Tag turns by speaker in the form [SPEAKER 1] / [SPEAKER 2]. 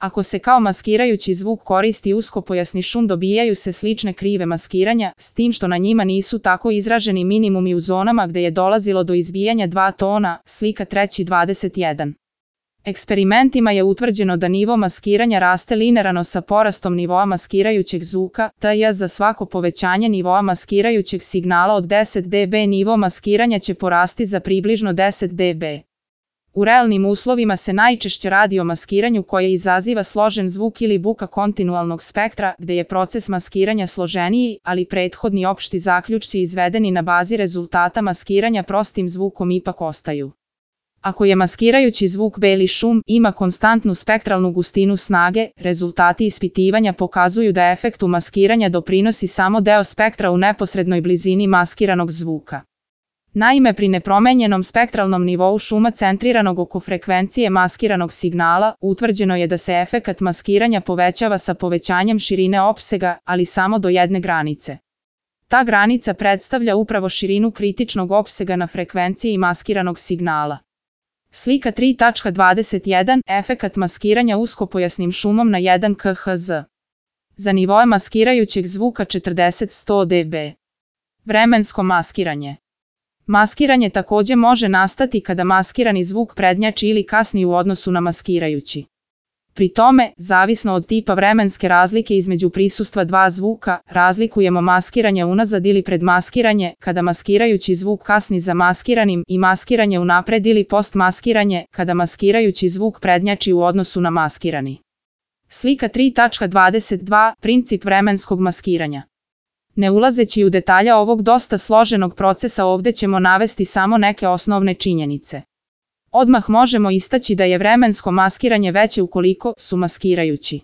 [SPEAKER 1] Ako se kao maskirajući zvuk koristi uskopojasni šum, dobijaju se slične krive maskiranja, s tim što na njima nisu tako izraženi minimumi u zonama gde je dolazilo do izbijanja 2 tona, slika 3.21. Eksperimentima je utvrđeno da nivo maskiranja raste linearno sa porastom nivoa maskirajućeg zvuka, tj. za svako povećanje nivoa maskirajućeg signala od 10 dB nivo maskiranja će porasti za približno 10 dB. U realnim uslovima se najčešće radi o maskiranju koje izaziva složen zvuk ili buka kontinualnog spektra, gde je proces maskiranja složeniji, ali prethodni opšti zaključci izvedeni na bazi rezultata maskiranja prostim zvukom ipak ostaju. Ako je maskirajući zvuk beli šum, ima konstantnu spektralnu gustinu snage, rezultati ispitivanja pokazuju da efektu maskiranja doprinosi samo deo spektra u neposrednoj blizini maskiranog zvuka. Naime, pri nepromenjenom spektralnom nivou šuma centriranog oko frekvencije maskiranog signala, utvrđeno je da se efekat maskiranja povećava sa povećanjem širine opsega, ali samo do jedne granice. Ta granica predstavlja upravo širinu kritičnog opsega na frekvenciji maskiranog signala. Slika 3.21. Efekat maskiranja uskopojasnim šumom na 1 kHz. Za nivoe maskirajućeg zvuka 40-100 dB. Vremensko maskiranje. Maskiranje takođe može nastati kada maskirani zvuk prednjači ili kasni u odnosu na maskirajući. Pri tome, zavisno od tipa vremenske razlike između prisustva dva zvuka, razlikujemo maskiranje unazad ili predmaskiranje, kada maskirajući zvuk kasni za maskiranim, i maskiranje unapred ili postmaskiranje, kada maskirajući zvuk prednjači u odnosu na maskirani. Slika 3.22. Princip vremenskog maskiranja. Ne ulazeći u detalje ovog dosta složenog procesa, ovde ćemo navesti samo neke osnovne činjenice. Odmah možemo istaći da je vremensko maskiranje veće ukoliko su maskirajući